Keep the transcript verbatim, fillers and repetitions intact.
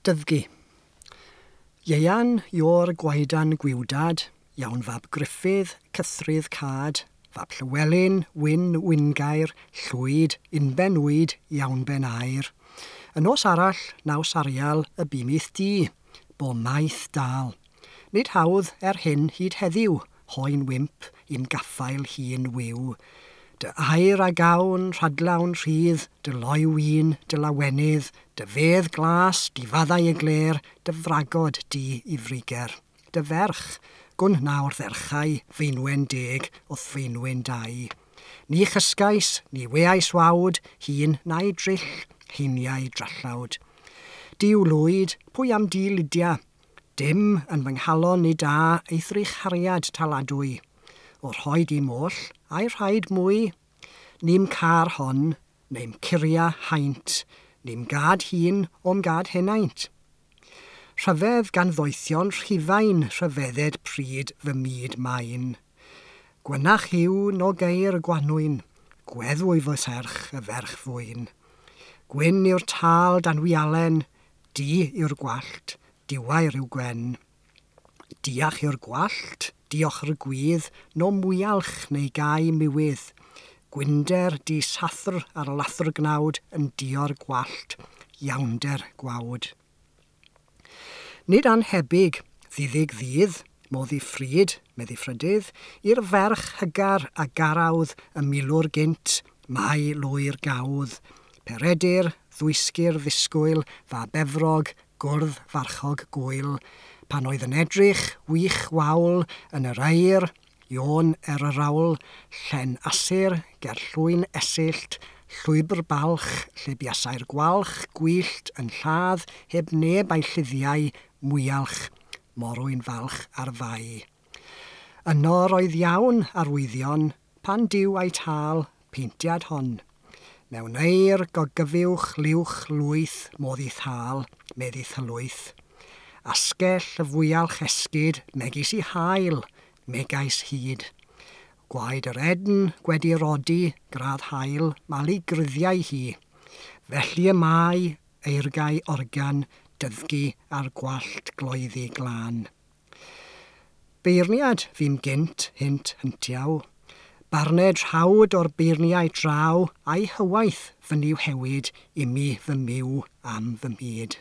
Dyddgu. Ieuan Ior Gwaedan Gwiwdad, iawn fab Gruffydd, Cythrydd Cad, fab Llywelyn, Wyn Wyngair, Llwyd, Unben Wyd, iawn ben air. Y nos arall, naws arial, y bimith di, bo maith dal. Nid hawdd er hyn hyd heddiw, hoen wymp i'm gaffael hun wiw. Dy air a gawn, rhadlawn rhydd, dy loyw un, dy lawenydd, dy fedd glas, dy faddau y gler, dy fragod di i friger. Dy ferch, gwn nawr dderchau, feinwen deg, wrth feinwen dau. Ni chysgais, ni weais wawd, hun na'i drill, heiniau drallawd. Duw lwyd, pwy am di Lydia? Dim yn fy nghalon ni da eithrych hariad taladwy. O rhoi di moll, a'i rhaid mwy? Ni'm car hon, neu'm curia haint, ni'm gad hun o'm gad henaint. Rhyfedd gan ddoethion Rhufain rhyfedded pryd fy myd main. Gwynach yw no geir gwanwyn, gweddwy fy serch y ferch fwyn. Gwyn yw'r tal dan wialen, du yw'r gwallt, diwair yw gwen. Diach yw'r gwallt, diolch yr gwydd, no mwyalch neu gau miwydd. Gwynder di sathr ar lathr gnawd yn dio'r gwallt, iawnder gwawd. Nid anhebyg, ddiddig ddydd, modd i ffryd, meddi ffrydydd, i'r ferch hygar a garawdd y milwr gynt, mai lwyr gawdd. Peredur, ddwysgyr ddisgwyl, fa befrog, gwrdd farchog gwyl. Pan oedd yn edrych, wych wawl, yn yr air, Iôn er yr awl, llen asur, ger llwyn esyllt, llwybr balch, lle buasai'r gwalch, gwyllt yn lladd, heb neb a'i lliddiau, mwyalch, morwyn falch ar fai. Yno roedd iawn arwyddion, pan diw a'i tal, peintiad hon. Mewn eir gogyfiwch liwch lwyth modd i thal, medd i thylwyth. Asgell y fwyalch esgyd, megis i hael, megais hyd. Gwaed yr edn gwedi rodi, gradd hael, malu gryddiau hi. Felly y mae eirgau organ, dyddgu a'r gwallt gloeddi glân. Beirniad fi'm gynt hynt hyntiaw. Barned rhawd o'r beirniau draw a'i hywaith fy niw hewyd imi fy myw am fy myd.